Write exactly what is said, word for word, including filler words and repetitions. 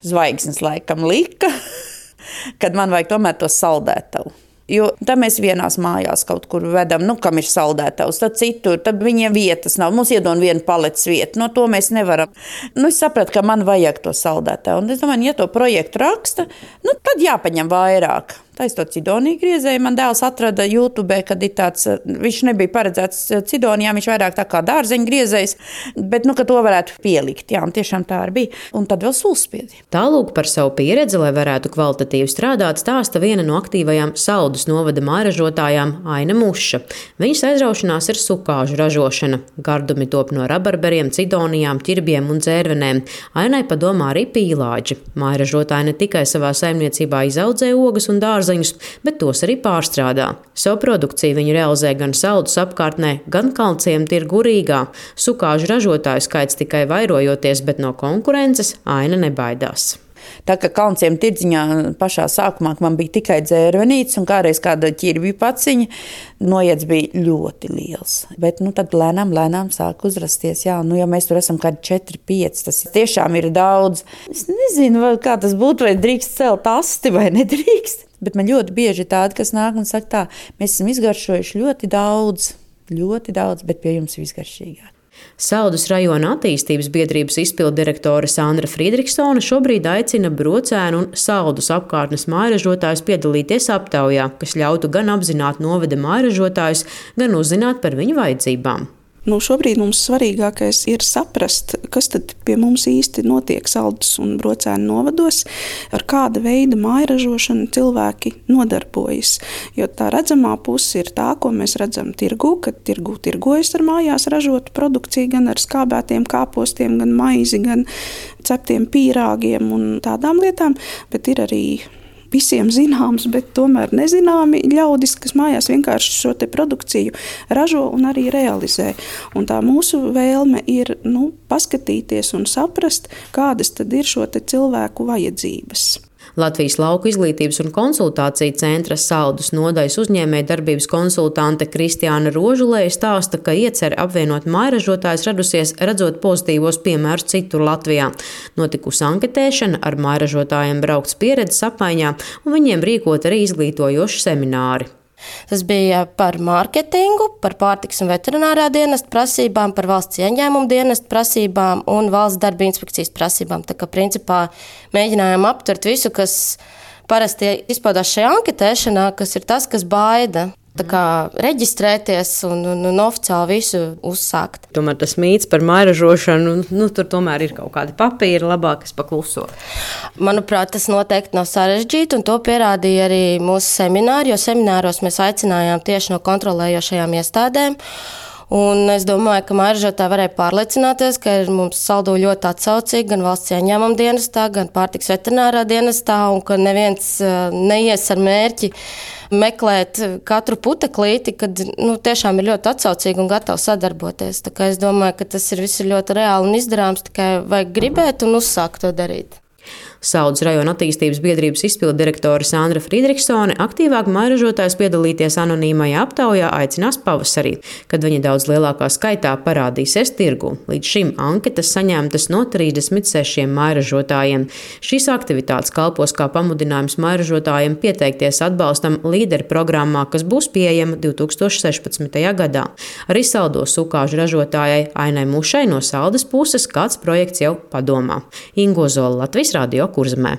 Zvaigznes laikam lika, kad man vajag tomēr to saldētavu. Jo tad mēs vienās mājās kaut kur vedam, nu, kam ir saldētavs, tad citur, tad viņiem vietas nav. Mums iedod vienu paletes vietu, no to mēs nevaram. Nu, es sapratu, ka man vajag to saldētavu. Un es domāju, ja to projektu raksta, nu, tad jāpaņem vairāk. Tā es to cidoniju griezēju. Man dēls atrada YouTube, kad ir tāds, viņš nebija paredzēts cidonijā, viņš vairāk tā kā dārzeņu griezējs, bet, nu, ka to varētu pielikt. Jā, un tiešām tā arī bija. Un tad vēl sulspiedi. Tālūk par savu pieredzi, lai varētu kvalitatīvi strādāt, stāsta viena no aktīvajām Saldus novada mājražotājām Aina Muša. Viņas aizraušanās ir sukāžu ražošana. Gardumi top no rabarberiem, cidonijām, ķirbiem un dzērvenēm. Ainai padomā arī pīlāģi. Mājražotāji ne tikai savā saimniecībā izaudzē ogas un dārzeņus, bet tos arī pārstrādā. Savu produkciju viņi realizē gan Saldus apkārtnē, gan Kalnciem tirgu Rīgā. Sukāžu ražotāju skaits tikai vairojoties, bet no konkurences Aina nebaidās. Tā kā Kalnciem tirdziņā pašā sākumā man bija tikai dzērvenītes un kādreiz kāda ķirbju paciņa, noiets bija ļoti liels. Bet nu, tad lēnām, lēnām sāk uzrasties. Jā, nu, ja mēs tur esam kādi četri, pieci, tas tiešām ir daudz. Es nezinu, vai, kā tas būtu, vai drīkst celt asti vai nedrīkst. Bet man ļoti bieži ir tādi, kas nāk un saka tā, mēs esam izgaršojuši ļoti daudz, ļoti daudz, bet pie jums visgaršīgāk. Saldus rajona attīstības biedrības izpilddirektore Sandra Friedrichsone šobrīd aicina Brocēnu un Saldus apkārtnes mājražotājus piedalīties aptaujā, kas ļautu gan apzināt novada mājražotājus, gan uzzināt par viņu vajadzībām. Nu, šobrīd mums svarīgākais ir saprast, kas tad pie mums īsti notiek Saldus un Brocēnu novados, ar kāda veida mājražošanu cilvēki nodarbojas. Jo tā redzamā puse ir tā, ko mēs redzam tirgu, kad tirgu tirgojas ar mājās ražotu produkciju, gan ar skābētiem kāpostiem, gan maizi, gan ceptiem pīrāgiem un tādām lietām, bet ir arī visiem zināms, bet tomēr nezināmi ļaudis, kas mājās vienkārši šo te produkciju ražo un arī realizē. Un tā mūsu vēlme ir nu, paskatīties un saprast, kādas tad ir šo te cilvēku vajadzības. Latvijas Lauku izglītības un konsultāciju centra Saldus nodaļas uzņēmēja darbības konsultante Kristiāna Rožulēja stāsta, ka iecer apvienot mājražotājus radusies redzot pozitīvos piemērus citur Latvijā. Notikusi anketēšana, ar mājražotājiem braukts pieredzes apmaiņā un viņiem rīkot arī izglītojoši semināri. Tas bija par mārketingu, par pārtikas un veterinārā dienesta prasībām, par valsts ieņēmumu dienesta prasībām un valsts darba inspekcijas prasībām. Tā kā principā mēģinājām aptvert visu, kas parasti izpaudās šajā anketēšanā, kas ir tas, kas baida. Tā kā reģistrēties un, un, un oficiāli visu uzsākt. Tomēr tas mīts par mājražošanu, nu, tur tomēr ir kaut kādi papīri, labāk, kas pakluso. Manuprāt, tas noteikti nav sarežģīti, un to pierādīja arī mūsu semināri, jo semināros mēs aicinājām tieši no kontrolējošajām iestādēm. Un es domāju, ka mājražotāji varēja pārliecināties, ka ir mums saldo ļoti atsaucīgi gan valsts ieņēmuma dienestā, gan pārtikas veterinārā dienestā, un ka neviens neies ar mērķi meklēt katru puteklīti, kad nu, tiešām ir ļoti atsaucīgi un gatavi sadarboties. Tā kā es domāju, ka tas ir viss ļoti reāli un izdarāms, tikai vajag gribēt un uzsākt to darīt. Saldus rajona attīstības biedrības izpilddirektore Sandra Friedrichsone aktīvāk mājražotājus piedalīties anonīmajā aptaujā aicinās pavasarī, kad viņi daudz lielākā skaitā parādīsies tirgu. Līdz šim anketas saņemtas no trīsdesmit sešiem mājražotājiem. Šīs aktivitātes kalpos kā pamudinājums mājražotājiem pieteikties atbalstam līderu programmā, kas būs pieejama divi tūkstoši sešpadsmitajā gadā. Arī Saldos sukāžu ražotājai Ainai Mušai no Saldus puses kāds projekts jau padomā. Ingo Zola, Latvijas radio Kurzemē.